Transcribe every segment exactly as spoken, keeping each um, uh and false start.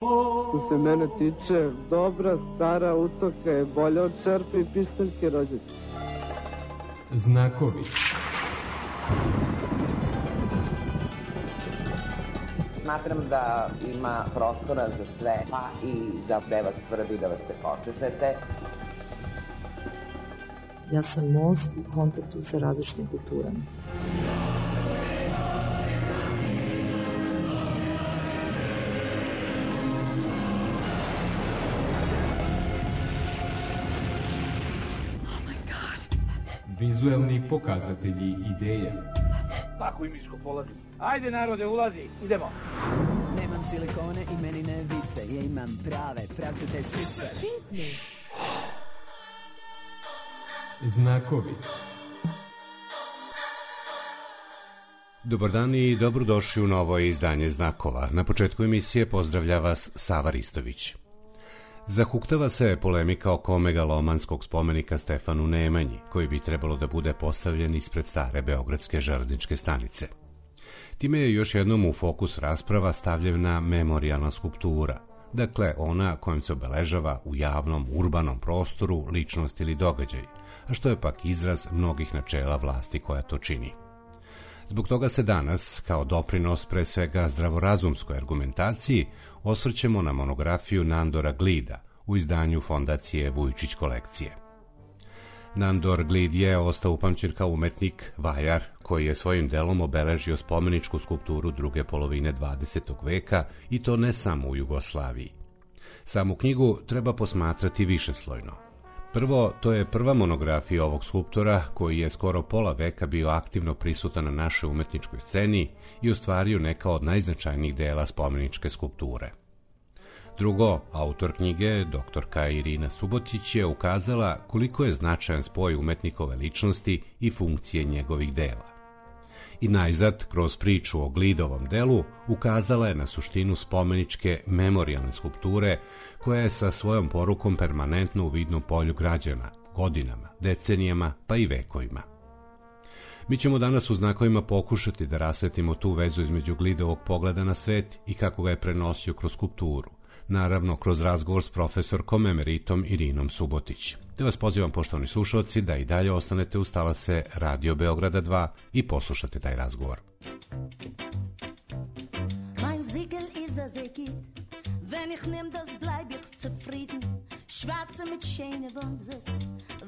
Što se mene tiče, dobra stara utoka je bolja od šerpe i pištaljke rođačke. Znakovi. Smatram da ima prostora za sve, pa i za gde vas svrbi da vas se počešete. Ja sam most u kontaktu sa različitim kulturama. Vizuelni pokazatelji ideje. Tako i miško polazi. Ajde narode, ulazi, idemo. Nemam silikone i meni ne vise, ja imam prave, pravcete sise. Pitni. Znakovi. Dobar dan i dobrodošli u novo izdanje Znakova. Na početku emisije pozdravlja vas Sava Ristović. Zahuktava se polemika oko megalomanskog spomenika Stefanu Nemanji, koji bi trebalo da bude postavljen ispred stare beogradske železničke stanice. Time je još jednom u fokus rasprava stavljena memorijalna skulptura, dakle ona kojom se obeležava u javnom, urbanom prostoru ličnost ili događaj, a što je pak izraz mnogih načela vlasti koja to čini. Zbog toga se danas, kao doprinos pre svega zdravorazumskoj argumentaciji, osvrćemo na monografiju Nandora Glida u izdanju Fondacije Vujčić kolekcije. Nandor Glid je ostao upamćen kao umetnik, vajar, koji je svojim delom obeležio spomeničku skulpturu druge polovine dvadesetog veka i to ne samo u Jugoslaviji. Samu knjigu treba posmatrati višeslojno. Prvo, to je prva monografija ovog skulptora koji je skoro pola veka bio aktivno prisutan na našoj umetničkoj sceni i ostvario neka od najznačajnijih dela spomeničke skulpture. Drugo, autor knjige, doktorka Irina Subotić, je ukazala koliko je značajan spoj umetnikove ličnosti i funkcije njegovih dela. I najzad, kroz priču o Glidovom delu, ukazala je na suštinu spomeničke memorijalne skulpture koja je sa svojom porukom permanentno u vidnom polju građana, godinama, decenijama pa i vekovima. Mi ćemo danas u Znakovima pokušati da rasvetimo tu vezu između Glidovog pogleda na svet i kako ga je prenosio kroz skulpturu, naravno kroz razgovor s profesorkom emeritom Irinom Subotić. Te vas pozivam, poštovani slušalci, da i dalje ostanete uz talase Radio Beograda dva i poslušate taj razgovor. Mein Siegel is a Segit, wenn ich nehm das bleib ich zufrieden. Schwarze mit schöne Wunses,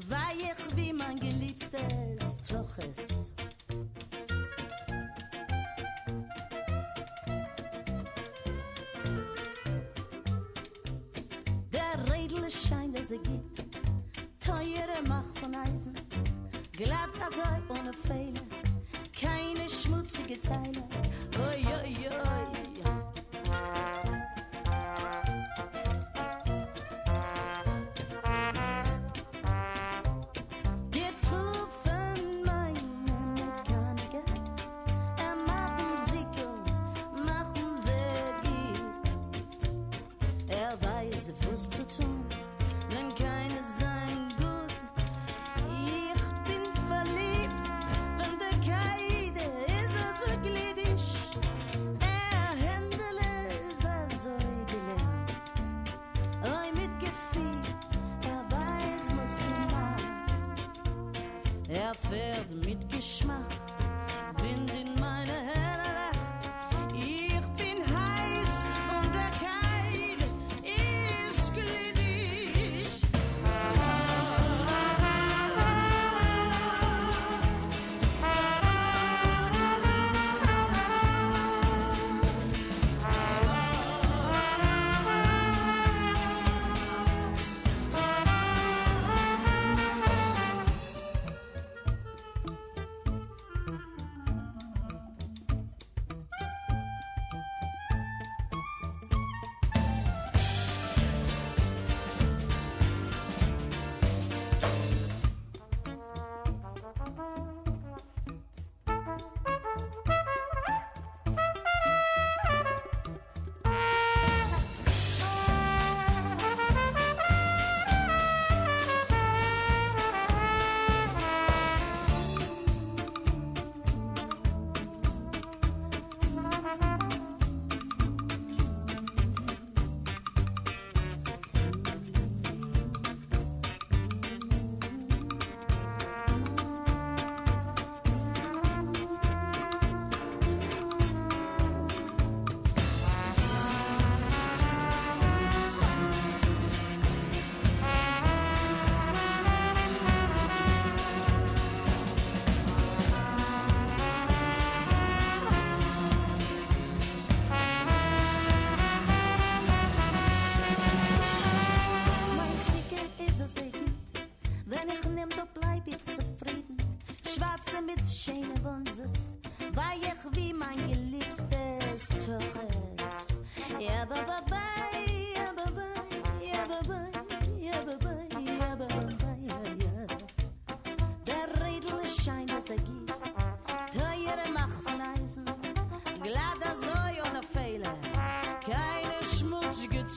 weich wie mein geliebstes Toches. Der Redel scheint a Segit, teure Macht von Eisen, glatt also ohne Fehler, keine schmutzige Teile. Oi, oi, oi. Er fährt mit Geschmack, Wind in meine Haare. Ich bin heiß und der Keil ist glitschig.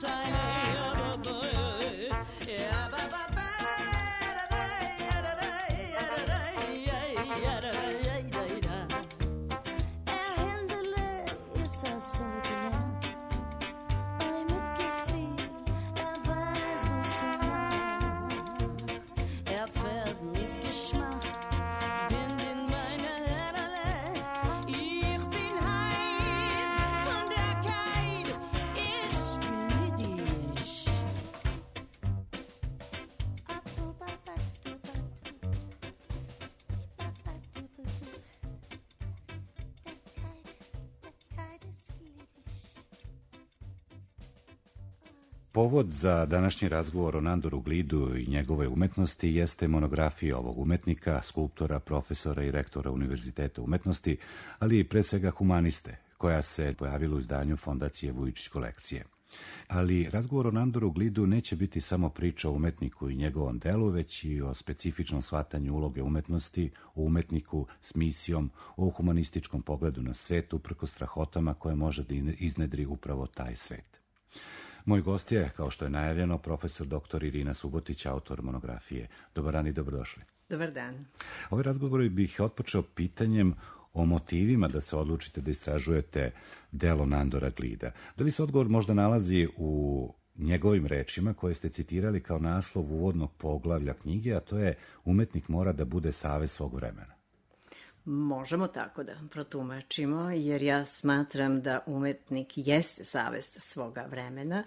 Zeile, ja, ba, ba, ja, ba, ba, ba, da, da, ja, da, da, ja, da, da, ja, ja, da, ja, da, da. Er Händele ist er so gelernt, bei Mitgefühl, er weiß, was du machst. Er fährt mit Geschmack, Wind in meine Herdele. Ich bin heiß und der Keil ist glittig. Povod za današnji razgovor o Nandoru Glidu i njegove umetnosti jeste monografija ovog umetnika, skulptora, profesora i rektora Univerziteta umetnosti, ali i pre svega humaniste, koja se pojavila u izdanju Fondacije Vujičić kolekcije. Ali razgovor o Nandoru Glidu neće biti samo priča o umetniku i njegovom delu, već i o specifičnom shvatanju uloge umetnosti, o umetniku s misijom, o humanističkom pogledu na svet, uprkos strahotama koje može da iznedri upravo taj svet. Moj gost je, kao što je najavljeno, profesor doktor Irina Subotić, autor monografije. Dobar dan i dobrodošli. Dobar dan. Ovaj razgovor bih otpočeo pitanjem o motivima da se odlučite da istražujete delo Nandora Glida. Da li se odgovor možda nalazi u njegovim rečima koje ste citirali kao naslov uvodnog poglavlja knjige, a to je umetnik mora da bude savez svog vremena? Možemo tako da protumačimo, jer ja smatram da umetnik jeste savest svoga vremena,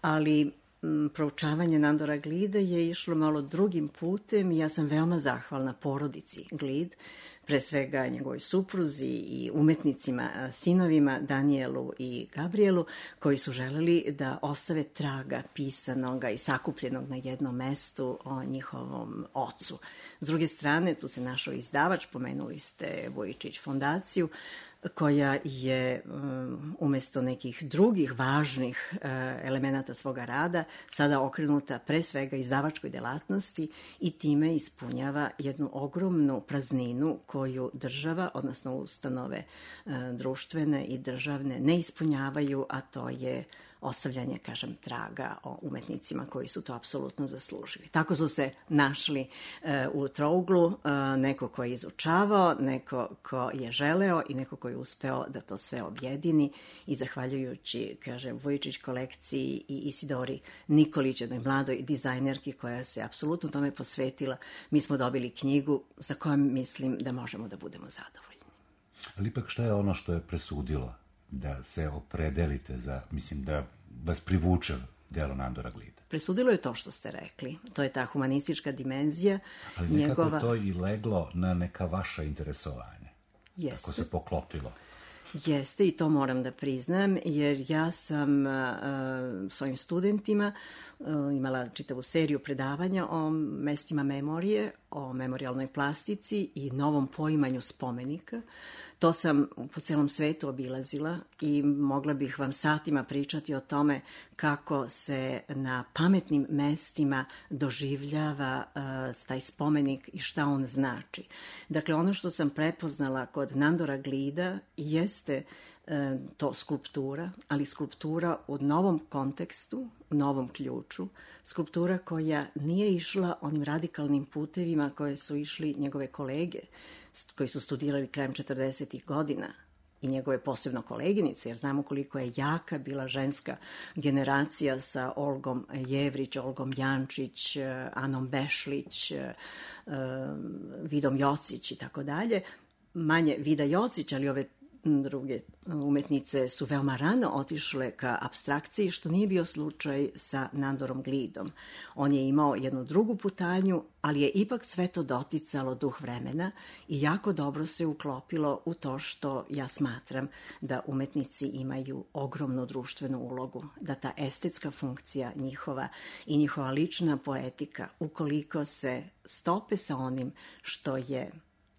ali m, proučavanje Nandora Glida je išlo malo drugim putem i ja sam veoma zahvalna porodici Glid, pre svega njegovoj supruzi i umetnicima, sinovima Danijelu i Gabrielu, koji su želeli da ostave traga pisanog i sakupljenog na jednom mestu o njihovom ocu. S druge strane, tu se našao izdavač, pomenuli ste Vujičić fondaciju, koja je um, umesto nekih drugih važnih uh, elemenata svoga rada sada okrenuta pre svega izdavačkoj delatnosti i time ispunjava jednu ogromnu prazninu koju država, odnosno ustanove uh, društvene i državne ne ispunjavaju, a to je ostavljanje, kažem, traga o umetnicima koji su to apsolutno zaslužili. Tako su se našli e, u trouglu e, neko ko je izučavao, neko ko je želeo i neko ko je uspeo da to sve objedini i zahvaljujući, kažem, Vujičić kolekciji i Isidori Nikolić, jednoj mladoj dizajnerki koja se apsolutno tome posvetila, mi smo dobili knjigu za kojom mislim da možemo da budemo zadovoljni. Ali ipak šta je ono što je presudilo da se opredelite za, mislim, da vas privuče delo Nandora Glida? Presudilo je to što ste rekli. To je ta humanistička dimenzija. Ali nekako njegova... to i leglo na neka vaša interesovanja. Jeste. Tako se poklopilo. Jeste, i to moram da priznam, jer ja sam uh, svojim studentima uh, imala čitavu seriju predavanja o mestima memorije, o memorijalnoj plastici i novom poimanju spomenika. To sam po celom svetu obilazila i mogla bih vam satima pričati o tome kako se na pametnim mestima doživljava uh, taj spomenik i šta on znači. Dakle, ono što sam prepoznala kod Nandora Glida jeste uh, to skulptura, ali skulptura u novom kontekstu, u novom ključu, skulptura koja nije išla onim radikalnim putevima koje su išli njegove kolege, koji su studirali krajem četrdesetih godina i njegove posebno koleginice, jer znamo koliko je jaka bila ženska generacija sa Olgom Jevrić, Olgom Jančić, Anom Bešlić, Vidom Jocić i tako dalje. Manje Vida Jocić, ali ove druge umetnice su veoma rano otišle ka apstrakciji, što nije bio slučaj sa Nandorom Glidom. On je imao jednu drugu putanju, ali je ipak sve to doticalo duh vremena i jako dobro se uklopilo u to što ja smatram da umetnici imaju ogromnu društvenu ulogu, da ta estetska funkcija njihova i njihova lična poetika, ukoliko se stope sa onim što je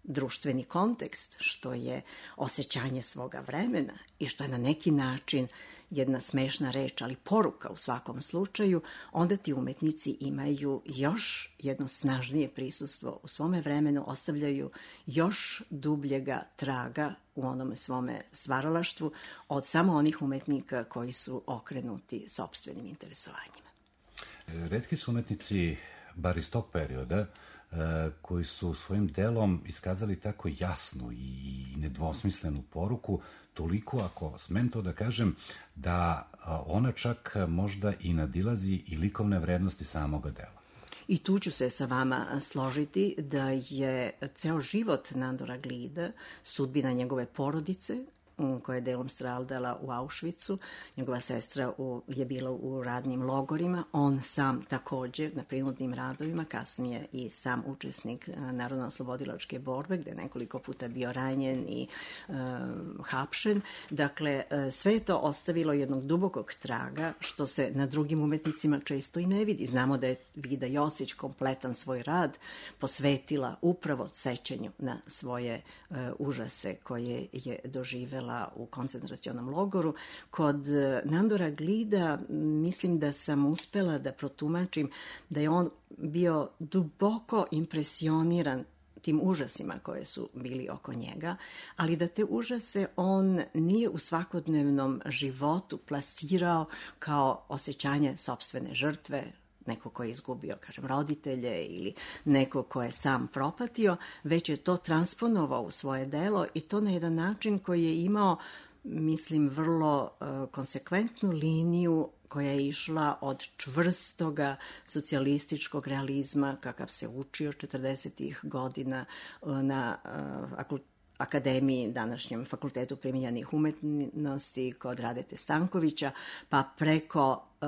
društveni kontekst, što je osjećanje svoga vremena i što je na neki način jedna smešna reč, ali poruka u svakom slučaju, onda ti umetnici imaju još jedno snažnije prisustvo u svome vremenu, ostavljaju još dubljega traga u onome svome stvaralaštvu od samo onih umetnika koji su okrenuti sopstvenim interesovanjima. Retki su umetnici, bar iz tog perioda, koji su svojim delom iskazali tako jasnu i nedvosmislenu poruku, toliko, ako smem to da kažem, da ona čak možda i nadilazi i likovne vrednosti samoga dela. I tu ću se sa vama složiti da je ceo život Nandora Glida sudbina njegove porodice, koja je delom stradala u Auschwitzu. Njegova sestra u, je bila u radnim logorima. On sam takođe na prinudnim radovima, kasnije i sam učesnik Narodno-oslobodilačke borbe, gde je nekoliko puta bio ranjen i e, hapšen. Dakle, sve je to ostavilo jednog dubokog traga, što se na drugim umetnicima često i ne vidi. Znamo da je Vida Josić kompletan svoj rad posvetila upravo sećanju na svoje e, užase koje je doživela u koncentracionom logoru. Kod Nandora Glida mislim da sam uspela da protumačim da je on bio duboko impresioniran tim užasima koje su bili oko njega, ali da te užase on nije u svakodnevnom životu plasirao kao osjećanje sopstvene žrtve, neko ko je izgubio, kažem, roditelje ili neko ko je sam propatio, već je to transponovao u svoje delo i to na jedan način koji je imao, mislim, vrlo uh, konsekventnu liniju koja je išla od čvrstoga socijalističkog realizma, kakav se učio četrdesetih godina uh, na uh, akademiji, današnjem Fakultetu primijenjenih umetnosti kod Radete Stankovića, pa preko e,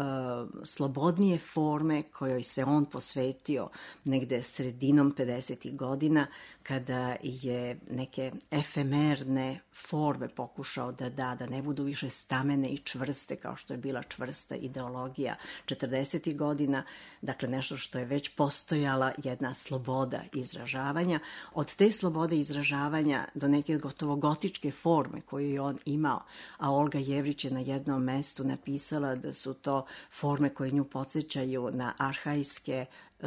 slobodnije forme kojoj se on posvetio negde sredinom pedesetih godina, kada je neke efemerne forme pokušao da da, da ne budu više stamene i čvrste kao što je bila čvrsta ideologija četrdesetih godina, dakle nešto što je već postojala jedna sloboda izražavanja. Od te slobode izražavanja do neke gotovo gotičke forme koju je on imao, a Olga Jevrić je na jednom mestu napisala da su to forme koje nju podsjećaju na arhajske e,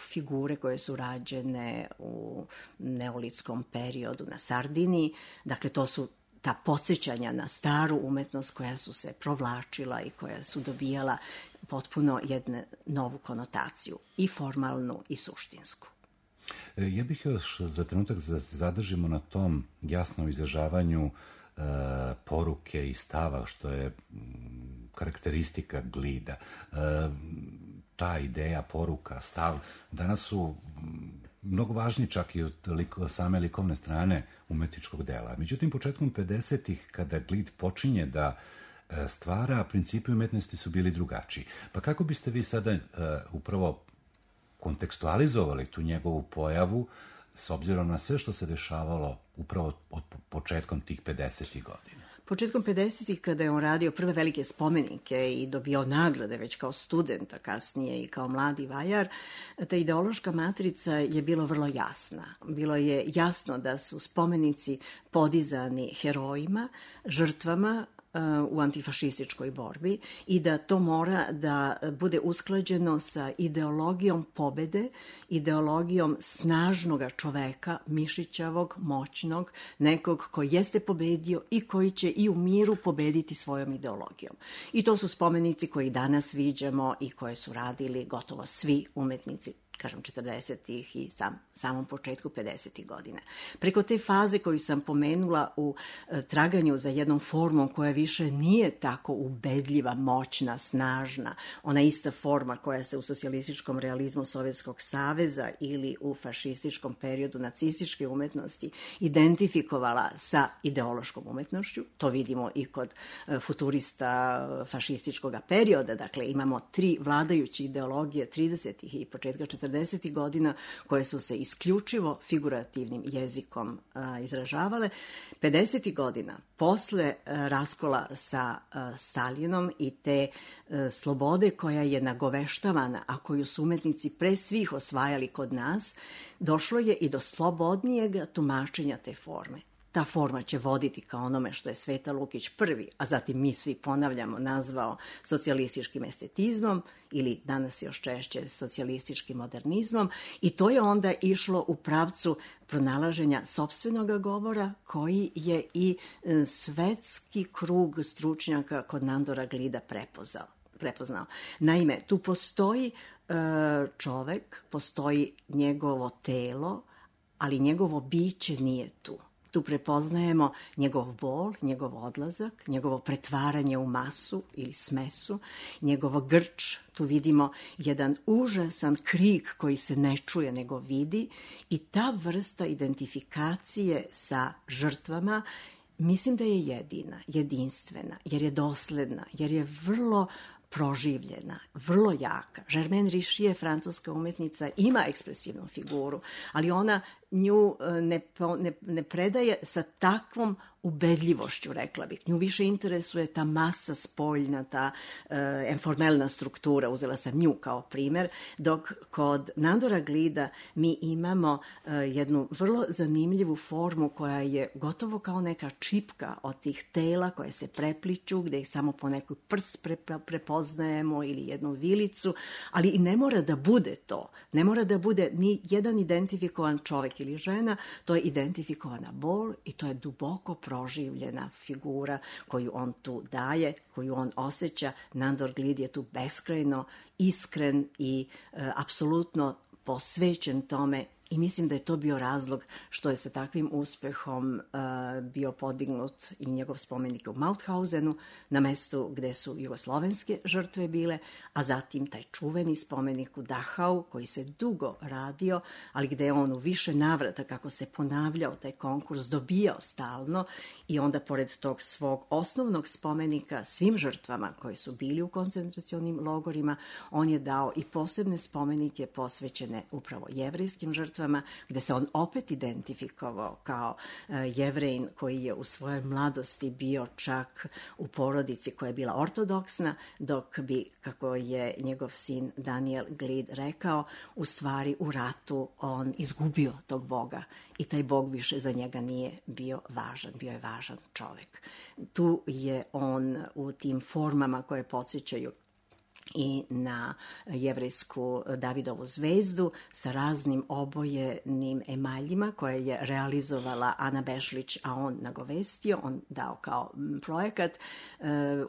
figure koje su rađene u neolitskom periodu na Sardiniji. Dakle, to su ta podsjećanja na staru umetnost koja su se provlačila i koja su dobijala potpuno jednu novu konotaciju, i formalnu i suštinsku. Ja bih još za trenutak zadržimo na tom jasnom izražavanju e, poruke i stava, što je m, karakteristika Glida. E, ta ideja, poruka, stav, danas su m, mnogo važniji čak i od liko, same likovne strane umetničkog dela. Međutim, početkom pedesetih, kada Glid počinje da e, stvara, principi umetnosti su bili drugačiji. Pa kako biste vi sada e, upravo kontekstualizovali tu njegovu pojavu s obzirom na sve što se dešavalo upravo od početkom tih pedesetih godina? Početkom pedesetih, kada je on radio prve velike spomenike i dobio nagrade već kao student, a kasnije i kao mladi vajar, ta ideološka matrica je bila vrlo jasna. Bilo je jasno da su spomenici podizani herojima, žrtvama u antifašističkoj borbi i da to mora da bude usklađeno sa ideologijom pobede, ideologijom snažnog čoveka, mišićavog, moćnog, nekog koji jeste pobedio i koji će i u miru pobediti svojom ideologijom. I to su spomenici koji danas viđamo i koje su radili gotovo svi umetnici, kažem, četrdesetih i sam, samom početku pedesetih godina. Preko te faze koju sam pomenula u e, traganju za jednom formom koja više nije tako ubedljiva, moćna, snažna, ona ista forma koja se u socijalističkom realizmu Sovjetskog saveza ili u fašističkom periodu nacističke umetnosti identifikovala sa ideološkom umetnošću. To vidimo i kod e, futurista fašističkog perioda. Dakle, imamo tri vladajuće ideologije tridesetih i početka četrdesetih godina koje su se isključivo figurativnim jezikom a, izražavale. pedesetih godina, posle a, raskola sa a, Stalinom i te a, slobode koja je nagoveštavana, a koju su umetnici pre svih osvajali kod nas, došlo je i do slobodnijeg tumačenja te forme. ta forma će voditi ka onome što je Sveta Lukić prvi, a zatim mi svi ponavljamo, nazvao socijalističkim estetizmom ili danas još češće socijalističkim modernizmom, i to je onda išlo u pravcu pronalaženja sopstvenog govora koji je i svetski krug stručnjaka kod Nandora Glida prepozao. prepoznao. Naime, tu postoji e, čovek, postoji njegovo telo, ali njegovo biće nije tu. Tu prepoznajemo njegov bol, njegov odlazak, njegovo pretvaranje u masu ili smesu, njegovo grč, tu vidimo jedan užasan krik koji se ne čuje nego vidi, i ta vrsta identifikacije sa žrtvama mislim da je jedina, jedinstvena, jer je dosledna, jer je vrlo proživljena, vrlo jaka. Germaine Richier, francuska umetnica, ima ekspresivnu figuru, ali ona nju ne, ne, ne predaje sa takvom ubedljivošću, rekla bih. Nju više interesuje ta masa spoljna, ta e, informelna struktura, uzela sam nju kao primer, dok kod Nandora Glida mi imamo e, jednu vrlo zanimljivu formu koja je gotovo kao neka čipka od tih tela koje se prepliču, gde ih samo po neku prst pre, prepoznajemo ili jednu vilicu, ali i ne mora da bude to. Ne mora da bude ni jedan identifikovan čovek ili žena, to je identifikovana bol i to je duboko proživljena figura koju on tu daje, koju on osjeća. Nandor Glid je tu beskrajno iskren i e, apsolutno posvećen tome, i mislim da je to bio razlog što je sa takvim uspehom uh, bio podignut i njegov spomenik u Mauthausenu, na mestu gde su jugoslovenske žrtve bile, a zatim taj čuveni spomenik u Dachau, koji se dugo radio, ali gde je on u više navrata, kako se ponavljao taj konkurs, dobijao stalno, i onda pored tog svog osnovnog spomenika svim žrtvama koji su bili u koncentracionim logorima, on je dao i posebne spomenike posvećene upravo jevrejskim žrtvama, gde se on opet identifikovao kao uh, Jevrejin koji je u svojoj mladosti bio čak u porodici koja je bila ortodoksna, dok bi, kako je njegov sin Daniel Glid rekao, u stvari u ratu on izgubio tog Boga i taj Bog više za njega nije bio važan, bio je važan čovek. Tu je on u tim formama koje podsjećaju i na jevrejsku Davidovu zvezdu sa raznim obojenim emaljima koje je realizovala Ana Bešlić, a on nagovestio, on dao kao projekat,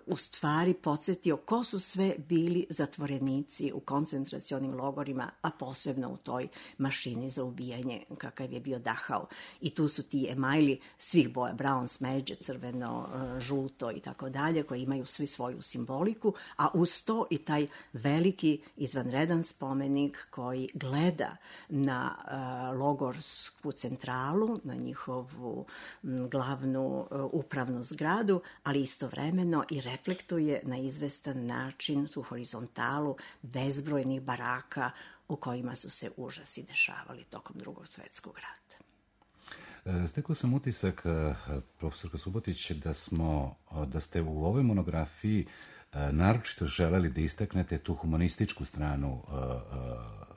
u stvari podsjetio ko su sve bili zatvorenici u koncentracionim logorima, a posebno u toj mašini za ubijanje kakav je bio Dachau. I tu su ti emajli svih boja, brown, smeđe, crveno, žuto i tako dalje, koji imaju svi svoju simboliku, a uz to i taj veliki izvanredan spomenik koji gleda na uh, logorsku centralu, na njihovu m, glavnu uh, upravnu zgradu, ali istovremeno i reflektuje na izvestan način tu horizontalu bezbrojnih baraka u kojima su se užasi dešavali tokom Drugog svetskog rata. Stekao sam utisak, profesorka Subotić, da smo, da ste u ovoj monografiji naročito želeli da istaknete tu humanističku stranu uh, uh,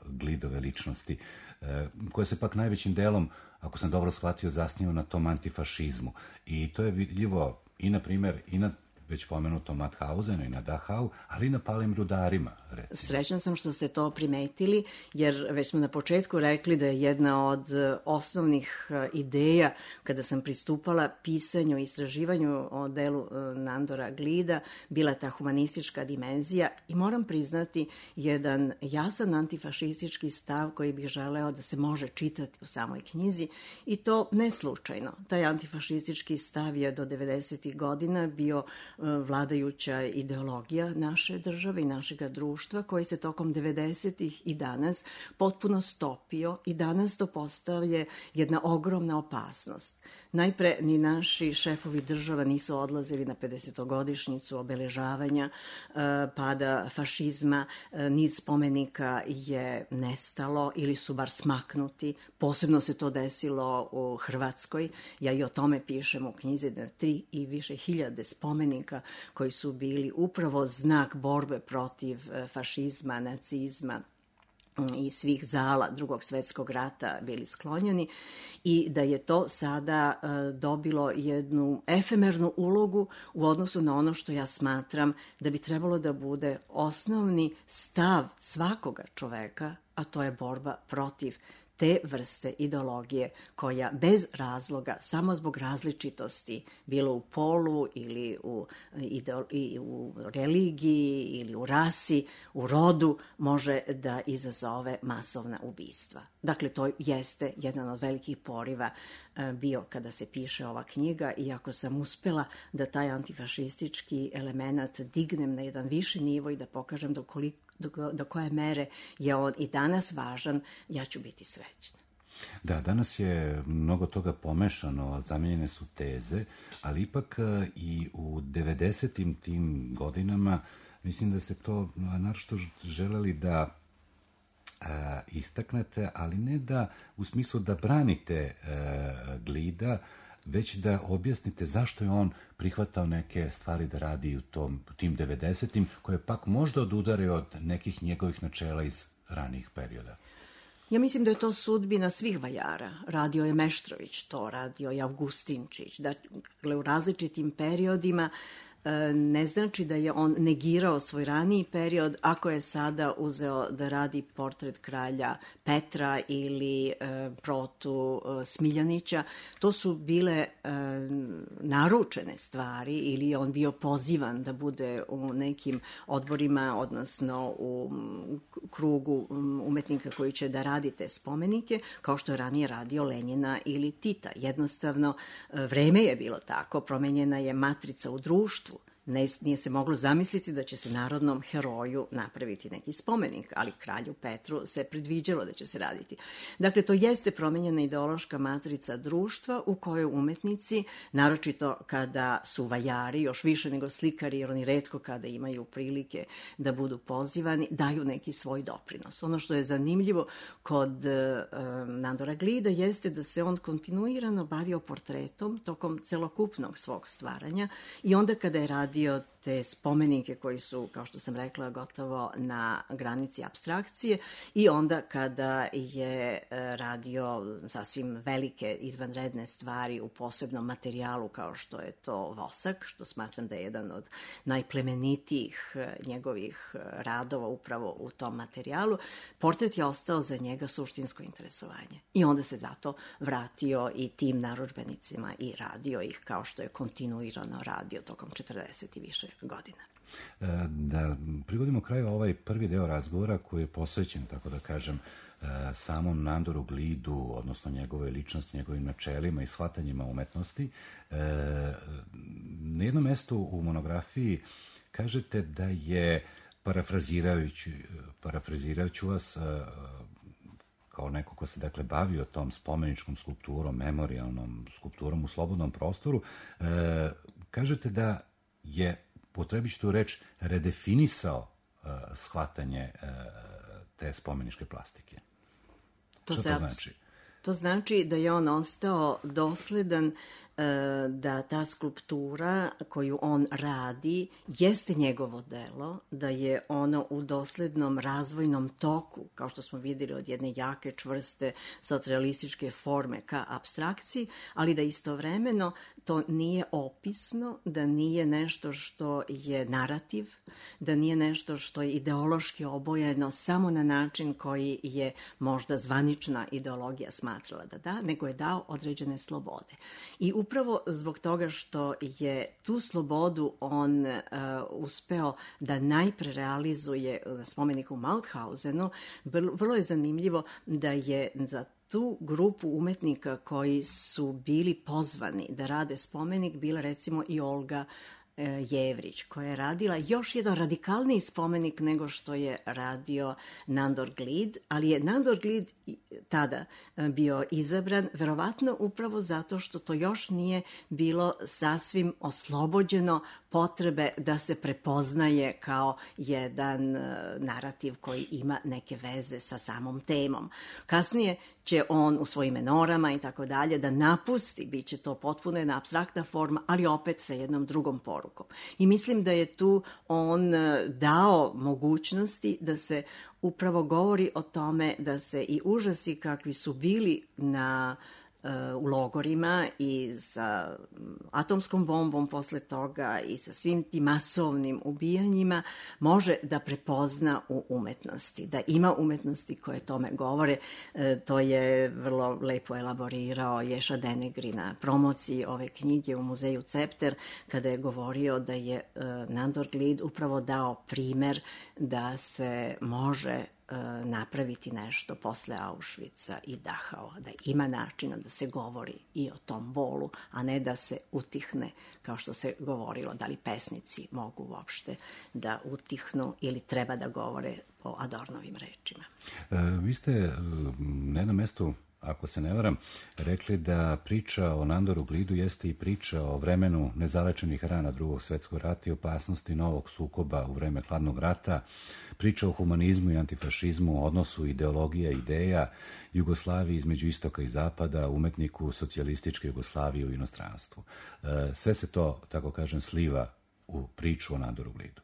Glidove ličnosti, uh, koja se pak najvećim delom, ako sam dobro shvatio, zasniva na tom antifašizmu. I to je vidljivo i, na primjer, i na već pomenutom Mauthausenu i na Dachau, ali i na palim rudarima, recimo. Srećna sam što ste to primetili, jer već smo na početku rekli da je jedna od osnovnih ideja kada sam pristupala pisanju i istraživanju o delu Nandora Glida bila ta humanistička dimenzija, i moram priznati jedan jasan antifašistički stav koji bih želeo da se može čitati u samoj knjizi, i to ne slučajno. Taj antifašistički stav je do devedesetih godina bio vladajuća ideologija naše države i našega društva, koji se tokom devedesetih i danas potpuno stopio, i danas to postavlja jedna ogromna opasnost. Najpre, ni naši šefovi država nisu odlazili na pedesetogodišnjicu obeležavanja uh, pada fašizma, uh, niz spomenika je nestalo ili su bar smaknuti. Posebno se to desilo u Hrvatskoj. Ja i o tome pišem u knjizi, da tri i više hiljade spomenika koji su bili upravo znak borbe protiv uh, fašizma, nacizma i svih zala Drugog svetskog rata bili sklonjeni i da je to sada dobilo jednu efemernu ulogu u odnosu na ono što ja smatram da bi trebalo da bude osnovni stav svakoga čoveka, a to je borba protiv te vrste ideologije koja bez razloga, samo zbog različitosti, bilo u polu ili u, ideo, i u religiji ili u rasi, u rodu, može da izazove masovna ubistva. Dakle, to jeste jedan od velikih poriva bio kada se piše ova knjiga, iako sam uspela da taj antifašistički element dignem na jedan viši nivo i da pokažem do koliko Do, do koje mere je on i danas važan, ja ću biti srećna. Da, danas je mnogo toga pomešano, zamijenjene su teze, ali ipak i u devedesetim tim godinama mislim da ste to naročito želeli da a, istaknete, ali ne da u smislu da branite a, Glida, već da objasnite zašto je on prihvatao neke stvari da radi u tom, tim devedesetim, koje pak možda odudare od nekih njegovih načela iz ranijih perioda. Ja mislim da je to sudbina svih vajara. Radio je Meštrović to, radio je Augustinčić. Dakle, u različitim periodima ne znači da je on negirao svoj raniji period ako je sada uzeo da radi portret kralja Petra ili e, Protu e, Smiljanića. To su bile e, naručene stvari ili je on bio pozivan da bude u nekim odborima, odnosno u krugu umetnika koji će da radi te spomenike, kao što je ranije radio Lenjina ili Tita. Jednostavno, vreme je bilo tako, promenjena je matrica u društvu. Ne, nije se moglo zamisliti da će se narodnom heroju napraviti neki spomenik, ali kralju Petru se predviđalo da će se raditi. Dakle, to jeste promenjena ideološka matrica društva u kojoj umetnici, naročito kada su vajari, još više nego slikari, jer oni retko kada imaju prilike da budu pozivani, daju neki svoj doprinos. Ono što je zanimljivo kod e, Nandora Glida jeste da se on kontinuirano bavio portretom tokom celokupnog svog stvaranja i onda kada je radio te spomenike koji su, kao što sam rekla, gotovo na granici apstrakcije i onda kada je radio sasvim velike izvanredne stvari u posebnom materijalu kao što je to vosak, što smatram da je jedan od najplemenitijih njegovih radova upravo u tom materijalu, portret je ostao za njega suštinsko interesovanje. I onda se zato vratio i tim narudžbenicima i radio ih kao što je kontinuirano radio tokom četrdeset i više godina. Da privodimo kraju ovaj prvi deo razgovora koji je posvećen, tako da kažem, samom Nandoru Glidu, odnosno njegove ličnosti, njegovim načelima i shvatanjima umetnosti. Na jednom mestu u monografiji kažete da je, parafrazirajući, parafrazirajući vas kao neko ko se dakle bavio tom spomeničkom skulpturom, memorijalnom skulpturom u slobodnom prostoru, kažete da je, potrebiću tu reč, redefinisao uh, shvatanje uh, te spomeničke plastike. To Što se to znači? To znači da je on ostao dosledan da ta skulptura koju on radi jeste njegovo delo, da je ono u doslednom razvojnom toku, kao što smo videli, od jedne jake, čvrste, socrealističke forme ka apstrakciji, ali da istovremeno to nije opisno, da nije nešto što je narativ, da nije nešto što je ideološki obojeno samo na način koji je možda zvanična ideologija smatrala da da, nego je dao određene slobode. I upravo zbog toga što je tu slobodu on uh, uspeo da najpre realizuje na spomeniku u Mauthausenu, vrlo je zanimljivo da je za tu grupu umetnika koji su bili pozvani da rade spomenik bila recimo i Olga Jevrić, koja je radila još jedan radikalniji spomenik nego što je radio Nandor Glid, ali je Nandor Glid tada bio izabran verovatno upravo zato što to još nije bilo sasvim oslobođeno potrebe da se prepoznaje kao jedan narativ koji ima neke veze sa samom temom. Kasnije će on u svojim menorama i tako dalje da napusti, bit će to potpuno jedna apstraktna forma, ali opet sa jednom drugom porukom. I mislim da je tu on dao mogućnosti da se upravo govori o tome da se i užasi kakvi su bili na u logorima i sa atomskom bombom posle toga i sa svim tim masovnim ubijanjima može da prepozna u umetnosti, da ima umetnosti koje tome govore. To je vrlo lepo elaborirao Ješa Denegri na promociji ove knjige u muzeju Cepter, kada je govorio da je Nandor Glid upravo dao primer da se može napraviti nešto posle Auschwitza i Dachau, da ima načina da se govori i o tom bolu, a ne da se utihne, kao što se govorilo, da li pesnici mogu uopšte da utihnu ili treba da govore po Adornovim rečima. E, vi ste na jednom mestu, ako se ne varam, rekli da priča o Nandoru Glidu jeste i priča o vremenu nezalečenih rana Drugog svetskog rata i opasnosti novog sukoba u vreme Hladnog rata, priča o humanizmu i antifašizmu, o odnosu ideologija i ideja, Jugoslaviji između istoka i zapada, umetniku socijalističke Jugoslavije u inostranstvu. Sve se to, tako kažem, sliva u priču o Nandoru Glidu.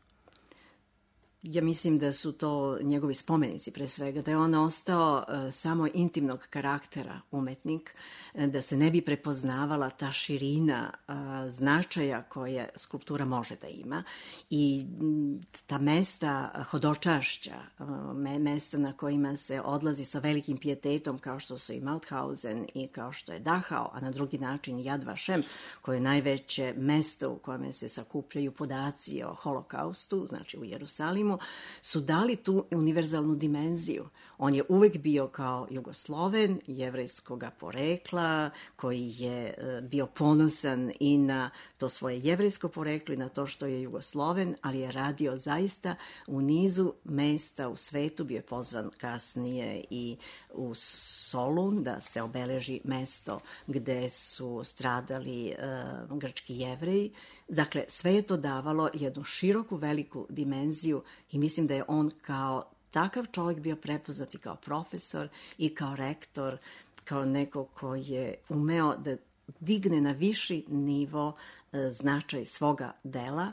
Ja mislim da su to njegovi spomenici pre svega, da je on ostao uh, samo intimnog karaktera umetnik, da se ne bi prepoznavala ta širina uh, značaja koje skulptura može da ima i m, ta mesta hodočašća, uh, me, mesta na kojima se odlazi sa velikim pijetetom kao što su i Mauthausen i kao što je Dachau, a na drugi način Yad Vashem, koje je najveće mesto u kojem se sakupljaju podaci o holokaustu, znači u Jerusalimu, su dali tu univerzalnu dimenziju. On je uvek bio kao Jugosloven, jevrejskog porekla, koji je bio ponosan i na to svoje jevrejsko poreklo i na to što je Jugosloven, ali je radio zaista u nizu mesta u svetu. Bio je pozvan kasnije i u Solun da se obeleži mesto gde su stradali uh, grčki jevreji. Dakle, sve je to davalo jednu široku, veliku dimenziju i mislim da je on kao takav čovjek bio prepoznat i kao profesor i kao rektor, kao neko ko je umeo da digne na viši nivo e, značaj svoga dela,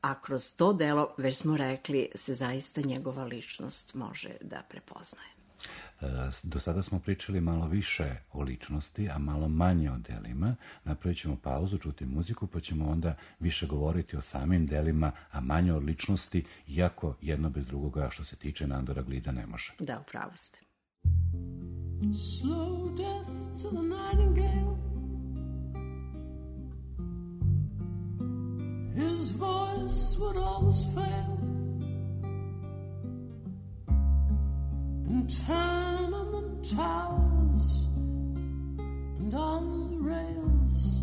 a kroz to delo, već smo rekli, se zaista njegova ličnost može da prepoznaje. Do sada smo pričali malo više o ličnosti, a malo manje o delima. Napravit ćemo pauzu, čuti muziku, pa ćemo onda više govoriti o samim delima, a manje o ličnosti, iako jedno bez drugoga što se tiče Nandora Glida ne može. Da, upravo ste. Slow death to the nightingale. His voice would always fail. In tenement towers and on the rails,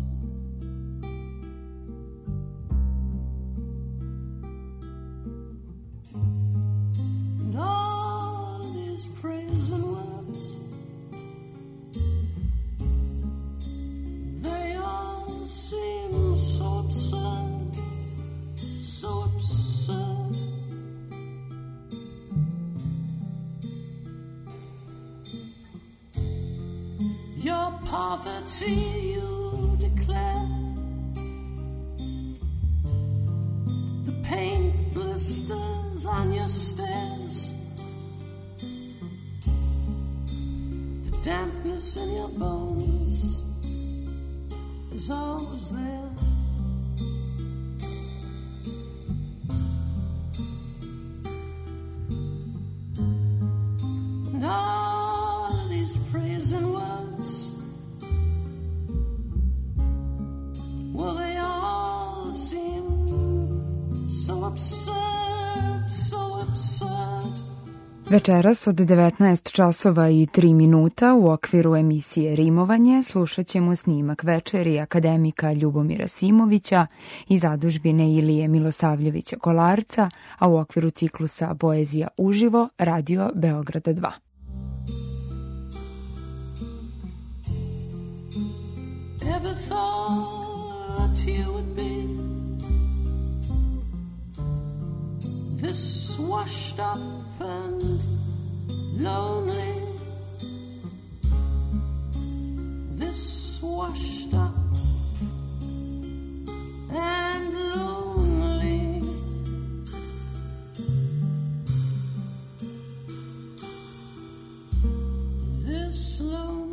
and all these praise and words, they all seem so absurd, so absurd. Your poverty you declare, the paint blisters on your stairs, the dampness in your bones is always there. And all these praise and words, well, they all seem so absurd, so absurd. Večeras od devetnaest časova i tri minuta u okviru emisije Rimovanje slušat ćemo snimak večeri akademika Ljubomira Simovića i zadužbine Ilije Milosavljevića Kolarca, a u okviru ciklusa Poezija uživo Radio Beograda dva. Ever thought you would be this washed up and lonely, this washed up and lonely, this lonely.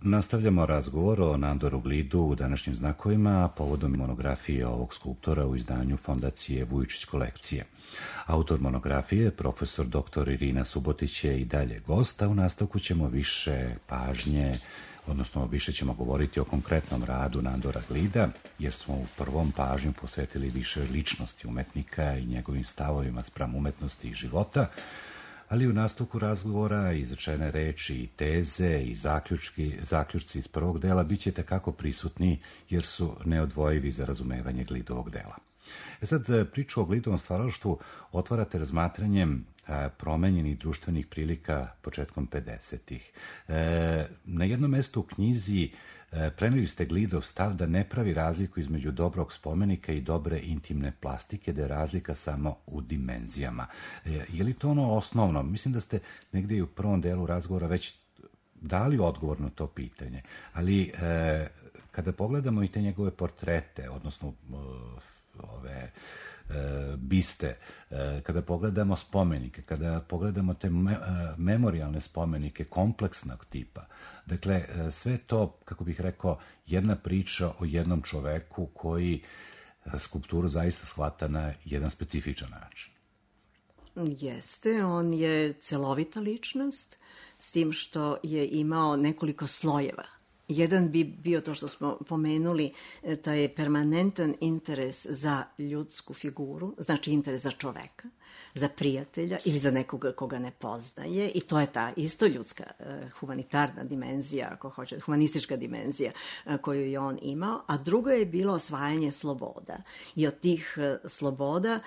Nastavljamo razgovor o Nandoru Glidu u današnjim znakovima povodom monografije ovog skulptora u izdanju Fondacije Vujičić kolekcije. Autor monografije, profesor doktor Irina Subotić, je i dalje gost, a u nastavku ćemo više pažnje, odnosno više ćemo govoriti o konkretnom radu Nandora Glida, jer smo u prvom pažnju posvetili više ličnosti umetnika i njegovim stavovima spram umetnosti i života, ali u nastavku razgovora izrečene reči i teze i zaključki, zaključci iz prvog dela bit će tekako prisutni jer su neodvojivi za razumevanje Glidovog dela. E sad, priču o Glidovom stvaralaštvu otvarate razmatranjem a, promenjenih društvenih prilika početkom pedesetih. E, na jednom mestu u knjizi e, preneli ste Glidov stav da ne pravi razliku između dobrog spomenika i dobre intimne plastike, da je razlika samo u dimenzijama. E, je li to ono osnovno? Mislim da ste negdje i u prvom delu razgovora već dali odgovor na to pitanje, ali e, kada pogledamo i te njegove portrete, odnosno ove e, biste, e, kada pogledamo spomenike, kada pogledamo te me, e, memorialne spomenike kompleksnog tipa, dakle, e, sve to, kako bih rekao, jedna priča o jednom čoveku koji skulpturu zaista shvata na jedan specifičan način. Jeste, on je celovita ličnost, s tim što je imao nekoliko slojeva. Jedan bi bio to što smo pomenuli, taj je permanentan interes za ljudsku figuru, znači interes za čoveka, za prijatelja ili za nekoga koga ne poznaje, i to je ta isto ljudska humanitarna dimenzija, ako hoće, humanistička dimenzija koju je on imao, a drugo je bilo osvajanje sloboda. I od tih sloboda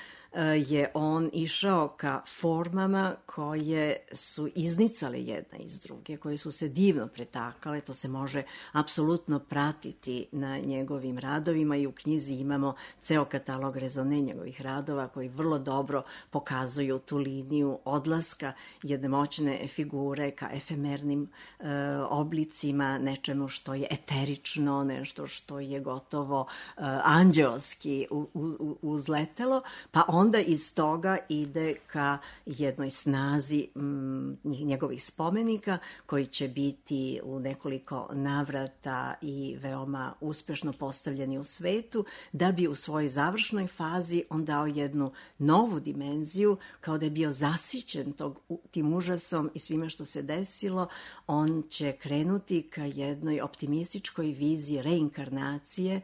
je on išao ka formama koje su iznicale jedna iz druge, koje su se divno pretakale, to se može apsolutno pratiti na njegovim radovima i u knjizi imamo ceo katalog rezone njegovih radova koji vrlo dobro pokazuju tu liniju odlaska jedne moćne figure ka efemernim e, oblicima, nečemu što je eterično, nešto što je gotovo e, anđeoski u, u, uzletelo, pa on onda iz toga ide ka jednoj snazi m, njegovih spomenika koji će biti u nekoliko navrata i veoma uspešno postavljeni u svetu, da bi u svojoj završnoj fazi on dao jednu novu dimenziju, kao da je bio zasićen tog, tim užasom i svime što se desilo. On će krenuti ka jednoj optimističkoj viziji reinkarnacije,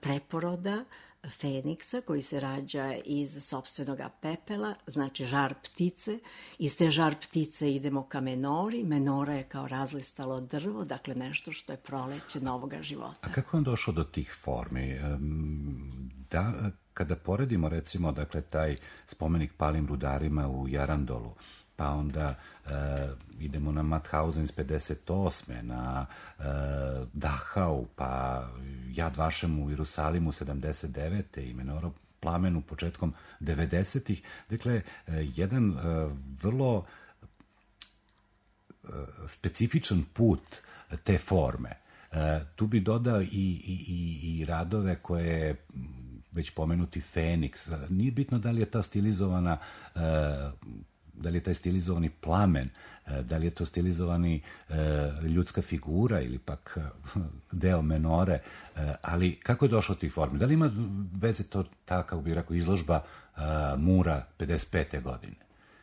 preporoda Feniksa koji se rađa iz sopstvenog pepela, znači žar ptice. Iz te žar ptice idemo ka menori. Menora je kao razlistalo drvo, dakle nešto što je proleće novoga života. A kako je on došao do tih formi? Da, kada poredimo recimo dakle taj spomenik palim rudarima u Jarandolu, pa onda e, idemo na Mauthausen iz pedeset osme, na e, Dachau, pa Yad Vashem u Jerusalimu sedamdeset devete i Menora Plamenu početkom devedesetih. Dakle, e, jedan e, vrlo e, specifičan put te forme. E, tu bi dodao i, i, i, i radove koje već pomenuti Feniks. Nije bitno da li je ta stilizovana e, da li je taj stilizovani plamen, da li je to stilizovani e, ljudska figura ili pak deo menore, e, ali kako je došlo tih formi? Da li ima veze to ta, kako bih rekao, izložba e, Mura pedeset pete godine?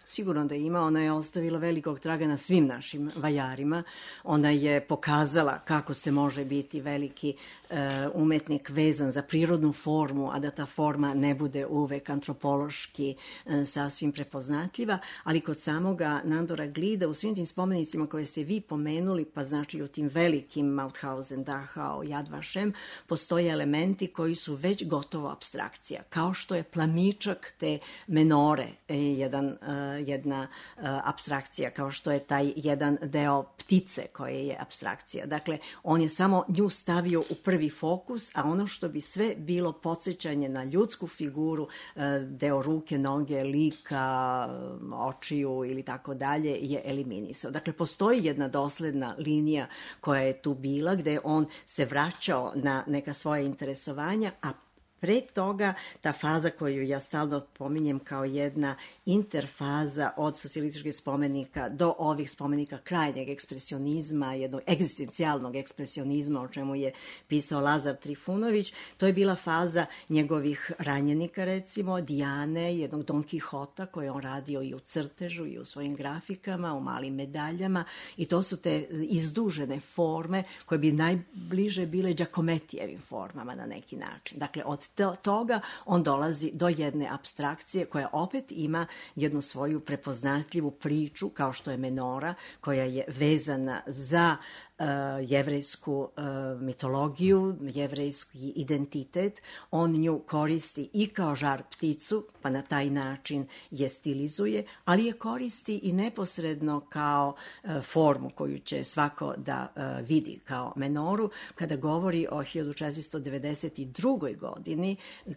Sigurno da ima, ona je ostavila velikog traga na svim našim vajarima. Ona je pokazala kako se može biti veliki e, umetnik vezan za prirodnu formu, a da ta forma ne bude uvek antropološki e, sasvim prepoznatljiva, ali kod samoga Nandora Glida u svim tim spomenicima koje ste vi pomenuli, pa znači u tim velikim Mauthausen, Dachau, Yad Vashem, postoje elementi koji su već gotovo apstrakcija, kao što je plamičak te menore, e, jedan e, jedna uh, apstrakcija, kao što je taj jedan deo ptice koje je apstrakcija. Dakle, on je samo nju stavio u prvi fokus, a ono što bi sve bilo podsjećanje na ljudsku figuru, uh, deo ruke, noge, lika, očiju ili tako dalje, je eliminisao. Dakle, postoji jedna dosledna linija koja je tu bila, gde on se vraćao na neka svoja interesovanja, a pre toga, ta faza koju ja stalno pominjem kao jedna interfaza od socijalističkih spomenika do ovih spomenika krajnjeg ekspresionizma, jednog egzistencijalnog ekspresionizma, o čemu je pisao Lazar Trifunović, to je bila faza njegovih ranjenika, recimo, Dijane, jednog Don Kihota, koje on radio i u crtežu i u svojim grafikama, u malim medaljama, i to su te izdužene forme koje bi najbliže bile Giacomettijevim formama na neki način. Dakle, od toga on dolazi do jedne apstrakcije koja opet ima jednu svoju prepoznatljivu priču, kao što je Menora, koja je vezana za uh, jevrejsku uh, mitologiju, jevrejski identitet. On nju koristi i kao žar pticu, pa na taj način je stilizuje, ali je koristi i neposredno kao uh, formu koju će svako da uh, vidi kao Menoru, kada govori o hiljadu četiristo devedeset drugoj godini,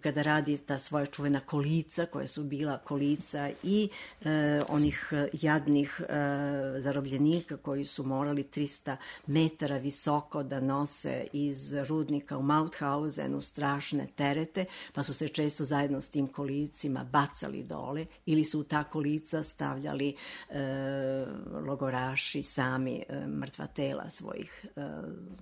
kada radi ta svoja čuvena kolica, koja su bila kolica i e, onih jadnih e, zarobljenika koji su morali trista metara visoko da nose iz rudnika u Mauthausenu strašne terete, pa su se često zajedno s tim kolicima bacali dole ili su u ta kolica stavljali e, logoraši sami e, mrtva tela svojih e,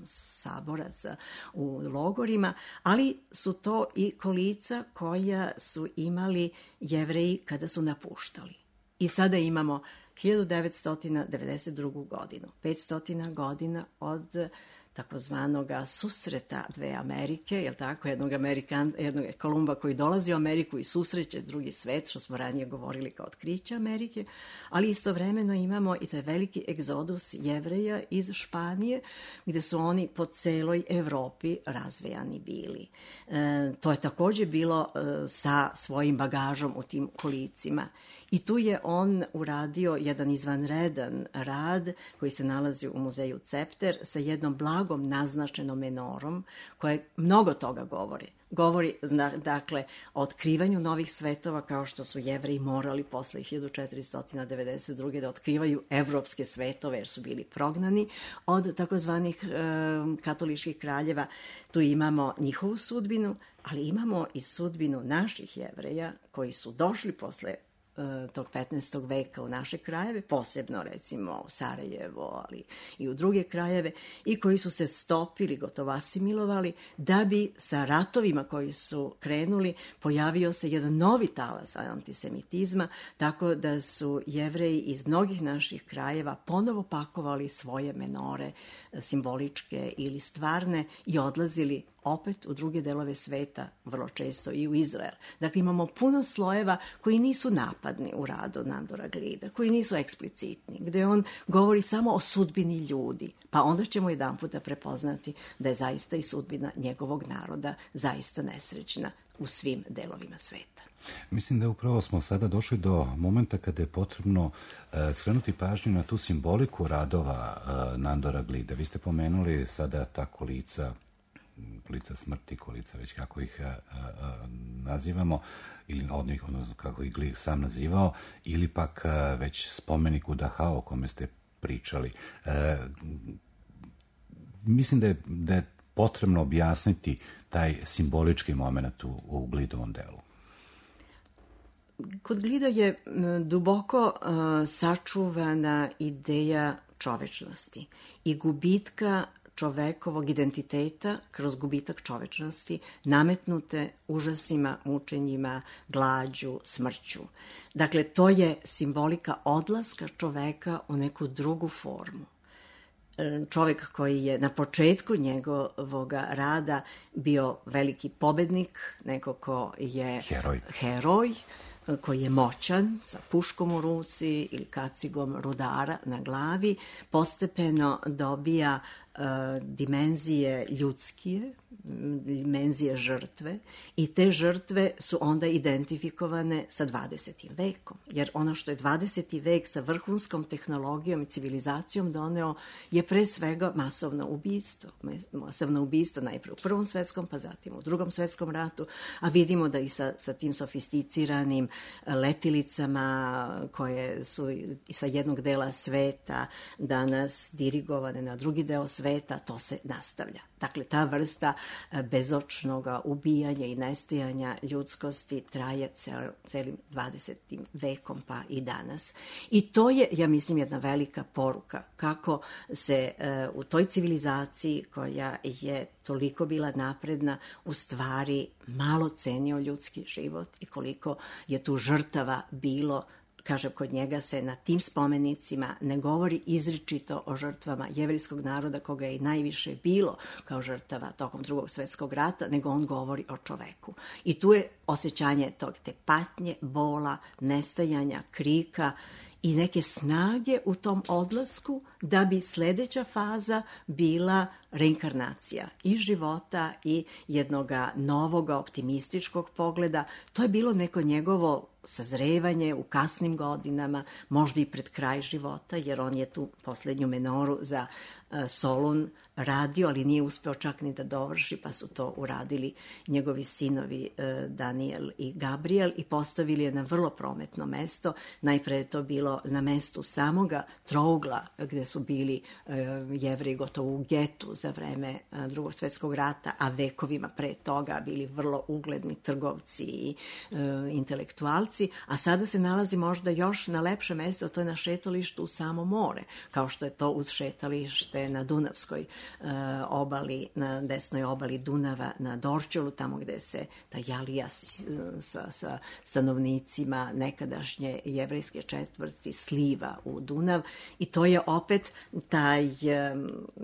saboraca u logorima, ali su to i kolica koja su imali Jevreji kada su napuštali. I sada imamo hiljadu devetsto devedeset drugu godinu, petsto godina od takozvanog susreta dve Amerike, jel tako, jednog, Amerikan, jednog Kolumba koji dolazi u Ameriku i susreće drugi svet, što smo ranije govorili kao otkriće Amerike, ali istovremeno imamo i taj veliki egzodus Jevreja iz Španije, gde su oni po celoj Evropi razvejani bili. E, to je takođe bilo e, sa svojim bagažom u tim kolicima. I tu je on uradio jedan izvanredan rad koji se nalazi u muzeju Cepter sa jednom blagom naznačenom menorom koja mnogo toga govori. Govori, dakle, o otkrivanju novih svetova, kao što su Jevreji morali posle hiljadu četiristo devedeset druge da otkrivaju evropske svetove jer su bili prognani od takozvanih e, katoličkih kraljeva. Tu imamo njihovu sudbinu, ali imamo i sudbinu naših Jevreja koji su došli posle tog petnaestog veka u naše krajeve, posebno recimo u Sarajevo, ali i u druge krajeve, i koji su se stopili, gotovo asimilovali, da bi sa ratovima koji su krenuli pojavio se jedan novi talas antisemitizma, tako da su Jevreji iz mnogih naših krajeva ponovo pakovali svoje menore, simboličke ili stvarne, i odlazili opet u druge delove sveta, vrlo često i u Izrael. Dakle, imamo puno slojeva koji nisu napadni u radu Nandora Glida, koji nisu eksplicitni, gde on govori samo o sudbini ljudi, pa onda ćemo jedan puta prepoznati da je zaista i sudbina njegovog naroda zaista nesrećna u svim delovima sveta. Mislim da upravo smo sada došli do momenta kada je potrebno uh, skrenuti pažnju na tu simboliku radova uh, Nandora Glida. Vi ste pomenuli sada ta kolica, kolica smrti, kolica već kako ih a, a, nazivamo, ili od njih, odnosno kako ih Glih sam nazivao, ili pak a, već spomenik u Dachau o kome ste pričali. E, mislim da je, da je potrebno objasniti taj simbolički moment u, u Glidovom delu. Kod Glida je duboko uh, sačuvana ideja čovečnosti i gubitka čovekovog identiteta kroz gubitak čovečnosti, nametnute užasima, mučenjima, glađu, smrću. Dakle, to je simbolika odlaska čoveka u neku drugu formu. Čovek koji je na početku njegovog rada bio veliki pobednik, neko ko je heroj, heroj koji je moćan, sa puškom u ruci ili kacigom rudara na glavi, postepeno dobija dimenzije ljudskije, dimenzije žrtve i te žrtve su onda identifikovane sa dvadesetim vekom. Jer ono što je dvadeseti vek sa vrhunskom tehnologijom i civilizacijom doneo je pre svega masovno ubistvo. Masovno ubistvo najpre u Prvom svetskom, pa zatim u Drugom svetskom ratu, a vidimo da i sa, sa tim sofisticiranim letilicama koje su i sa jednog dela sveta danas dirigovane na drugi deo sveta, to se nastavlja. Dakle, ta vrsta bezočnog ubijanja i nestajanja ljudskosti traje cel, celim dvadesetim vekom pa i danas. I to je, ja mislim, jedna velika poruka kako se uh, u toj civilizaciji koja je toliko bila napredna u stvari malo cenio ljudski život i koliko je tu žrtava bilo. Kažem, kod njega se na tim spomenicima ne govori izričito o žrtvama jevrejskog naroda, koga je i najviše bilo kao žrtava tokom Drugog svjetskog rata, nego on govori o čoveku. I tu je osjećanje tog te patnje, bola, nestajanja, krika i neke snage u tom odlasku da bi sledeća faza bila reinkarnacija i života i jednoga novoga optimističkog pogleda. To je bilo neko njegovo sazrevanje u kasnim godinama, možda i pred kraj života, jer on je tu poslednju menoru za uh, Solun radio, ali nije uspeo čak ni da dovrši, pa su to uradili njegovi sinovi uh, Daniel i Gabriel i postavili je na vrlo prometno mesto. Najpre je to bilo na mestu samoga trougla gde su bili uh, Jevreji gotovo u getu za vreme uh, Drugog svjetskog rata, a vekovima pre toga bili vrlo ugledni trgovci i uh, intelektualci, a sada se nalazi možda još na lepše mesto, to je na šetalištu u samo more, kao što je to uz šetalište na Dunavskoj uh, obali, na desnoj obali Dunava, na Dorćolu, tamo gde se ta Jalija sa, sa stanovnicima nekadašnje jevrejske četvrti sliva u Dunav i to je opet taj,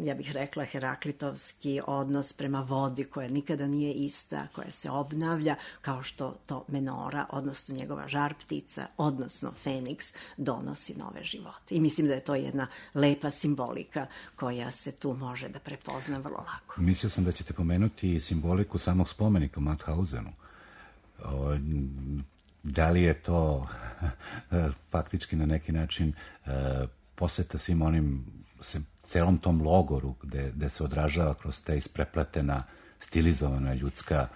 ja bih rekla, heraklitovski odnos prema vodi koja nikada nije ista, koja se obnavlja, kao što to menora, odnosno njegova žar ptica, odnosno Feniks, donosi nove živote. I mislim da je to jedna lepa simbolika koja se tu može da prepozna vrlo lako. Mislio sam da ćete pomenuti simboliku samog spomenika u Mauthausenu. O, da li je to faktički na neki način e, posveta svim onim, se, celom tom logoru gde, gde se odražava kroz te isprepletena, stilizovana ljudska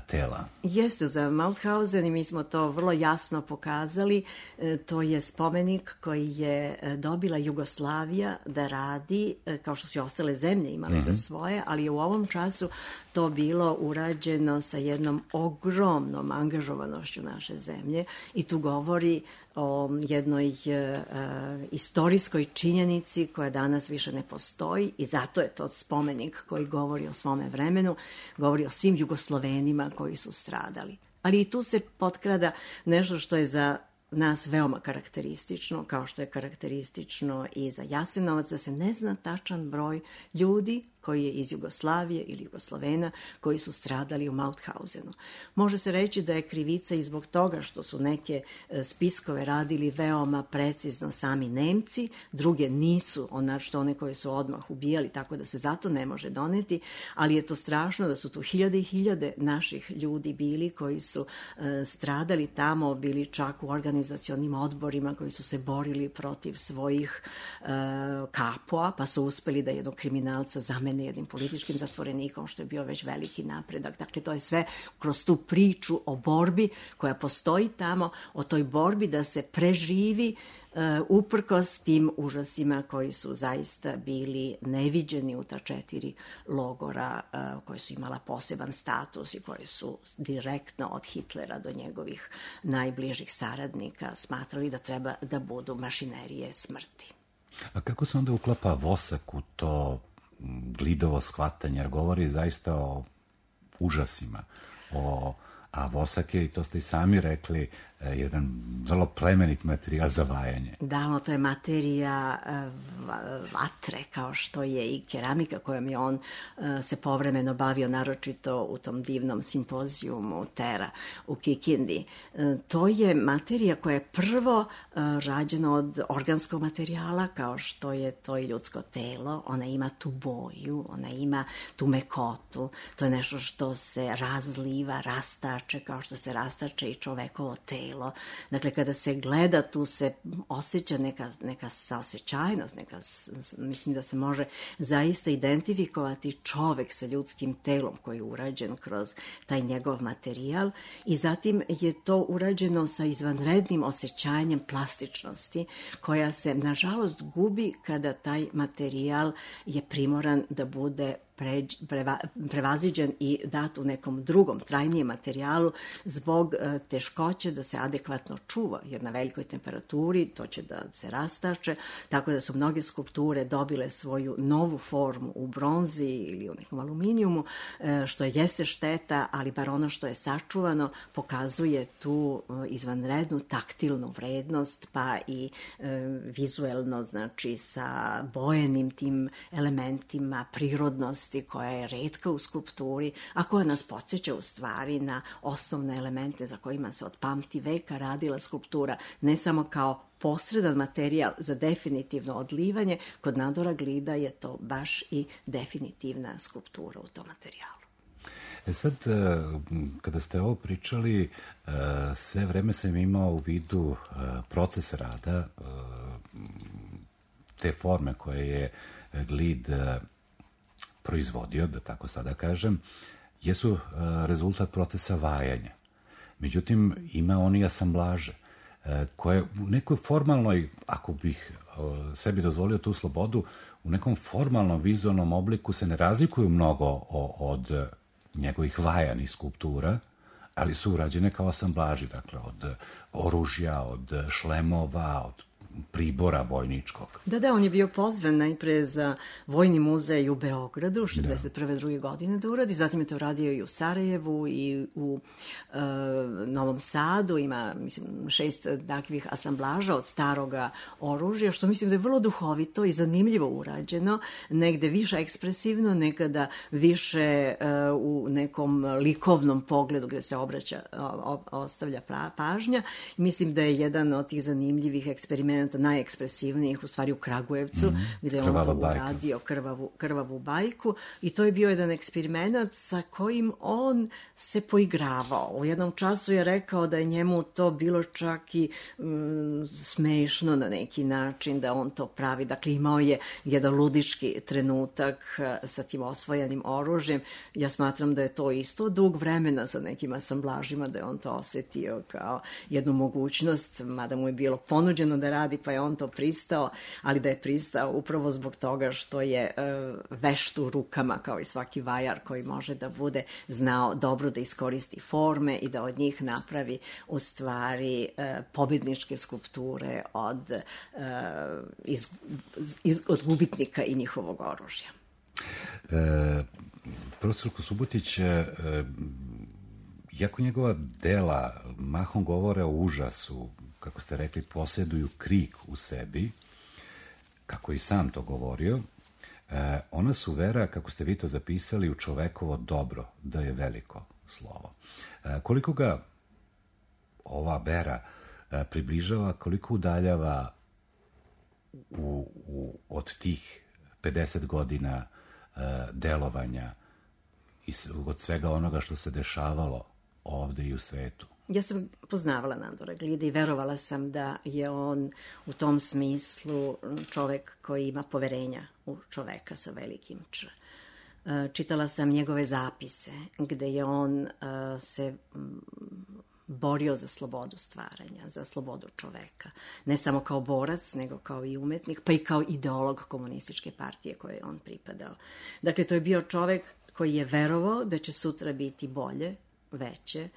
tela. Jeste, za Mauthausen i mi smo to vrlo jasno pokazali. To je spomenik koji je dobila Jugoslavija da radi, kao što su i ostale zemlje imale mm-hmm. za svoje, ali je u ovom času to bilo urađeno sa jednom ogromnom angažovanošću naše zemlje i tu govori o jednoj uh, istorijskoj činjenici koja danas više ne postoji i zato je to spomenik koji govori o svome vremenu, govori o svim Jugoslovenima koji su stradali. Ali i tu se potkrada nešto što je za nas veoma karakteristično, kao što je karakteristično i za Jasenovac, da se ne zna tačan broj ljudi koji je iz Jugoslavije ili Jugoslovena koji su stradali u Mauthausenu. Može se reći da je krivica i zbog toga što su neke spiskove radili veoma precizno sami Nemci, druge nisu, onačno one koje su odmah ubijali, tako da se zato ne može doneti, ali je to strašno da su tu hiljade i hiljade naših ljudi bili koji su e, stradali tamo, bili čak u organizacionim odborima koji su se borili protiv svojih e, kapoa, pa su uspeli da jednog kriminalca zamene jednim političkim zatvorenikom, što je bio već veliki napredak. Dakle, to je sve kroz tu priču o borbi koja postoji tamo, o toj borbi da se preživi uh, uprkos tim užasima koji su zaista bili neviđeni u ta četiri logora uh, koje su imala poseban status i koje su direktno od Hitlera do njegovih najbližih saradnika smatrali da treba da budu mašinerije smrti. A kako se onda uklapa Vosak u to glidovo shvatanje, jer govori zaista o užasima, o a vosak je, i to ste i sami rekli, jedan vrlo plemenit materijal za vajanje. Da, no, to je materija vatre, kao što je i keramika kojom je on se povremeno bavio, naročito u tom divnom simpozijumu Tera u Kikindi. To je materija koja je prvo rađena od organskog materijala, kao što je to i ljudsko telo. Ona ima tu boju, ona ima tu mekotu. To je nešto što se razliva, rastače, kao što se rastače i čovekovo telo. Dakle, kada se gleda, tu se osjeća neka, neka saosećajnost, neka, mislim da se može zaista identifikovati čovek sa ljudskim telom koji je urađen kroz taj njegov materijal i zatim je to urađeno sa izvanrednim osjećanjem plastičnosti koja se, nažalost, gubi kada taj materijal je primoran da bude Pređ, preva, prevaziđen i dat u nekom drugom, trajnijem materijalu zbog e, teškoće da se adekvatno čuva, jer na velikoj temperaturi to će da se rastače, tako da su mnoge skulpture dobile svoju novu formu u bronzi ili u nekom aluminijumu, e, što jeste šteta, ali bar ono što je sačuvano pokazuje tu e, izvanrednu taktilnu vrednost, pa i e, vizuelno, znači sa bojenim tim elementima, prirodnost koja je retka u skulpturi, a koja nas podsjeća u stvari na osnovne elemente za kojima se od pamti veka radila skulptura, ne samo kao posredan materijal za definitivno odlivanje, kod Nandora Glida je to baš i definitivna skulptura u tom materijalu. E sad, kada ste ovo pričali, sve vreme sam imao u vidu proces rada, te forme koje je Glid proizvodio, da tako sada kažem, jesu rezultat procesa vajanja. Međutim, ima on i asamblaže, koje u nekoj formalnoj, ako bih sebi dozvolio tu slobodu, u nekom formalnom vizualnom obliku se ne razlikuju mnogo od njegovih vajanih skulptura, ali su urađene kao asamblaži, dakle, od oružja, od šlemova, od pribora vojničkog. Da, da, on je bio pozvan najpre za Vojni muzej u Beogradu šezdeset prve druge godine da uradi, zatim je to radio i u Sarajevu i u e, Novom Sadu, ima, mislim, šest takvih asamblaža od staroga oružja, što mislim da je vrlo duhovito i zanimljivo urađeno, negde više ekspresivno, nekada više e, u nekom likovnom pogledu gde se obraća, o, ostavlja pra, pažnja. Mislim da je jedan od tih zanimljivih eksperimenta najekspresivnijih u stvari u Kragujevcu, mm, gde je on to uradio, krvavu, krvavu bajku, i to je bio jedan eksperiment sa kojim on se poigravao. U jednom času je rekao da je njemu to bilo čak i mm, smešno na neki način da on to pravi. Dakle, imao je jedan ludički trenutak sa tim osvojenim oružjem. Ja smatram da je to isto dug vremena sa nekim asamblažima, da je on to osetio kao jednu mogućnost, mada mu je bilo ponuđeno da radi, pa je on to pristao, ali da je pristao upravo zbog toga što je e, vešt u rukama, kao i svaki vajar koji može da bude znao dobro da iskoristi forme i da od njih napravi u stvari e, pobedničke skulpture od, e, iz, iz, od gubitnika i njihovog oružja. E, profesorko Subotić, e, jako njegova dela mahom govore o užasu, kako ste rekli, posjeduju krik u sebi, kako i sam to govorio, e, ona su vera, kako ste vi to zapisali, u čovekovo dobro, da je veliko slovo. E, koliko ga ova vera e, približava, koliko udaljava u, u, od tih pedeset godina e, delovanja i od svega onoga što se dešavalo ovde i u svetu? Ja sam poznavala Nandora Glida i verovala sam da je on u tom smislu čovek koji ima poverenja u čoveka sa velikim Č. Čitala sam njegove zapise gde je on se borio za slobodu stvaranja, za slobodu čoveka. Ne samo kao borac, nego kao i umetnik, pa i kao ideolog komunističke partije koje je on pripadao. Dakle, to je bio čovek koji je verovao da će sutra biti bolje, veće,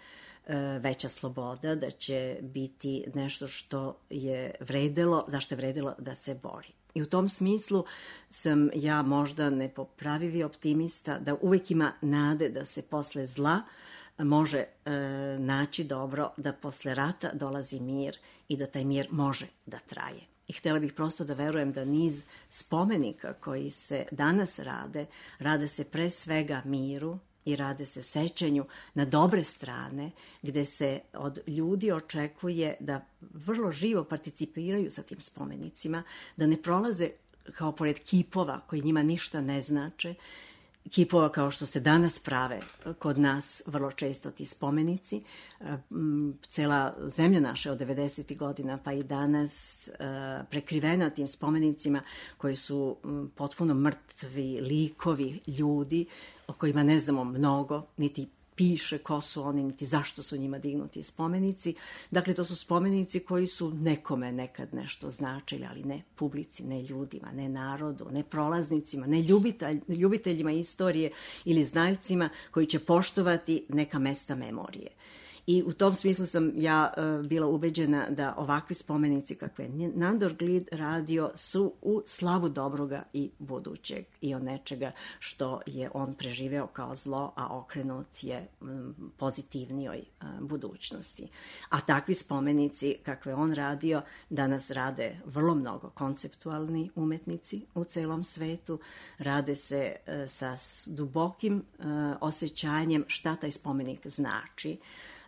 veća sloboda, da će biti nešto što je vredelo, zašto je vredelo da se bori. I u tom smislu sam ja možda nepopravivi optimista, da uvek ima nade da se posle zla može e, naći dobro da posle rata dolazi mir i da taj mir može da traje. I htjela bih prosto da verujem da niz spomenika koji se danas rade, rade se pre svega miru i rade se sećanju na dobre strane, gde se od ljudi očekuje da vrlo živo participiraju sa tim spomenicima, da ne prolaze kao pored kipova koji njima ništa ne znače, kipova kao što se danas prave kod nas vrlo često ti spomenici. Cela zemlja naša od devedesetih godina pa i danas prekrivena tim spomenicima koji su potpuno mrtvi likovi ljudi o kojima ne znamo mnogo, niti piše ko su oni, niti zašto su njima dignuti spomenici. Dakle, to su spomenici koji su nekome nekad nešto značili, ali ne publici, ne ljudima, ne narodu, ne prolaznicima, ne ljubitelj, ljubiteljima istorije ili znaljcima koji će poštovati neka mesta memorije. I u tom smislu sam ja uh, bila ubeđena da ovakvi spomenici kakve je Nandor Glid radio su u slavu dobroga i budućeg i od nečega što je on preživeo kao zlo, a okrenut je um, pozitivnijoj uh, budućnosti. A takvi spomenici kakve on radio danas rade vrlo mnogo konceptualni umetnici u celom svetu, rade se uh, sa dubokim uh, osjećanjem šta taj spomenik znači.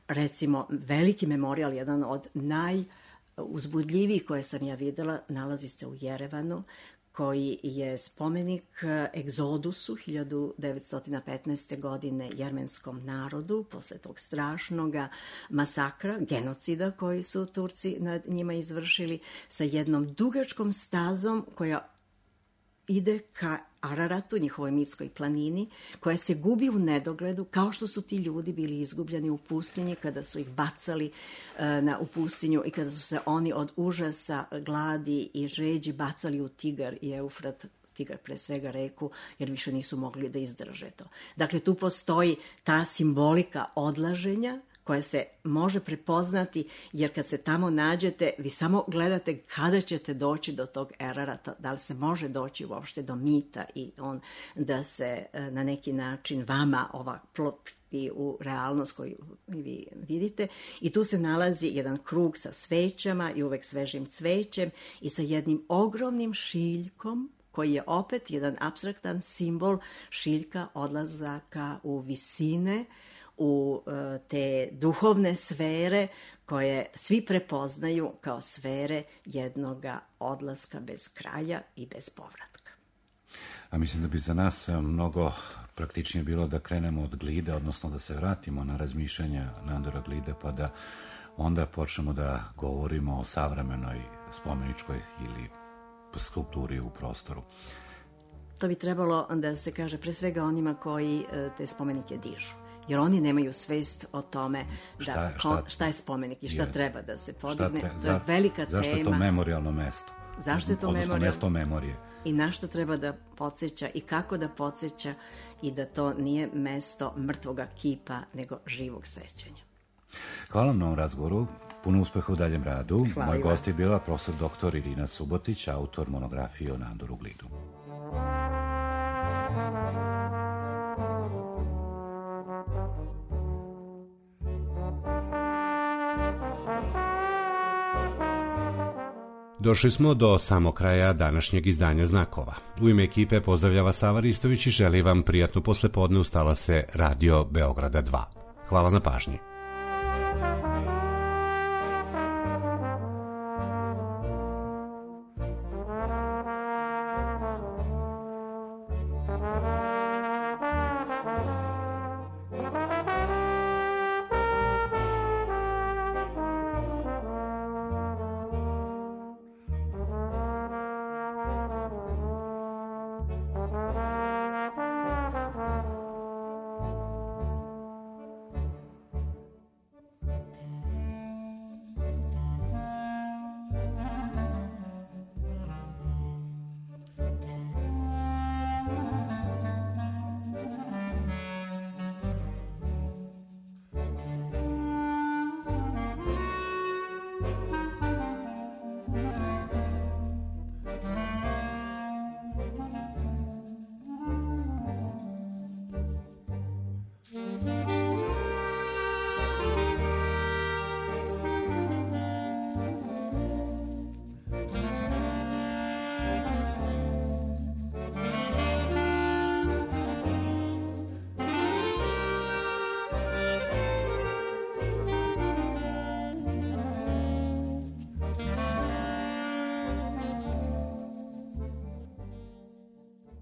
Recimo, veliki memorijal, jedan od najuzbudljivijih koje sam ja videla, nalazi se u Jerevanu, koji je spomenik egzodusu hiljadu devetsto petnaeste. godine jermenskom narodu, posle tog strašnog masakra, genocida koji su Turci nad njima izvršili, sa jednom dugačkom stazom koja ide ka Araratu, njihovoj mitskoj planini, koja se gubi u nedogledu, kao što su ti ljudi bili izgubljeni u pustinji kada su ih bacali uh, na, u pustinju i kada su se oni od užasa, gladi i žeđi bacali u Tigar i Eufrat, Tigar pre svega reku, jer više nisu mogli da izdrže to. Dakle, tu postoji ta simbolika odlaženja, koja se može prepoznati, jer kad se tamo nađete, vi samo gledate kada ćete doći do tog Ararata, da li se može doći uopšte do mita i on da se na neki način vama ova klopi u realnost koju vi vidite. I tu se nalazi jedan krug sa svećama i uvek svežim cvećem i sa jednim ogromnim šiljkom, koji je opet jedan apstraktan simbol šiljka odlazaka u visine, u te duhovne sfere koje svi prepoznaju kao sfere jednoga odlaska bez kraja i bez povratka. A mislim da bi za nas mnogo praktičnije bilo da krenemo od Glida, odnosno da se vratimo na razmišljanja Nandora Glida, pa da onda počnemo da govorimo o savremenoj spomeničkoj ili skulpturi u prostoru. To bi trebalo da se kaže pre svega onima koji te spomenike dižu. Jer oni nemaju svest o tome da, šta, šta, šta je spomenik i šta je, treba da se podigne. Tre, to je velika zašto tema. Zašto je to memorijalno mesto? Zašto je to odnosno memorijalno? Mesto memorije. I na što treba da podsjeća i kako da podsjeća i da to nije mesto mrtvoga kipa, nego živog sećanja. Hvala vam na ovom razgovoru. Puno uspeha u daljem radu. Hvala. Moj gost je bila profesor doktor Irina Subotić, autor monografije o Nandoru Glidu. Došli smo do samog kraja današnjeg izdanja Znakova. U ime ekipe pozdravljava Sava Ristović i želi vam prijatnu poslepodne. Ustala se Radio Beograda dva. Hvala na pažnji.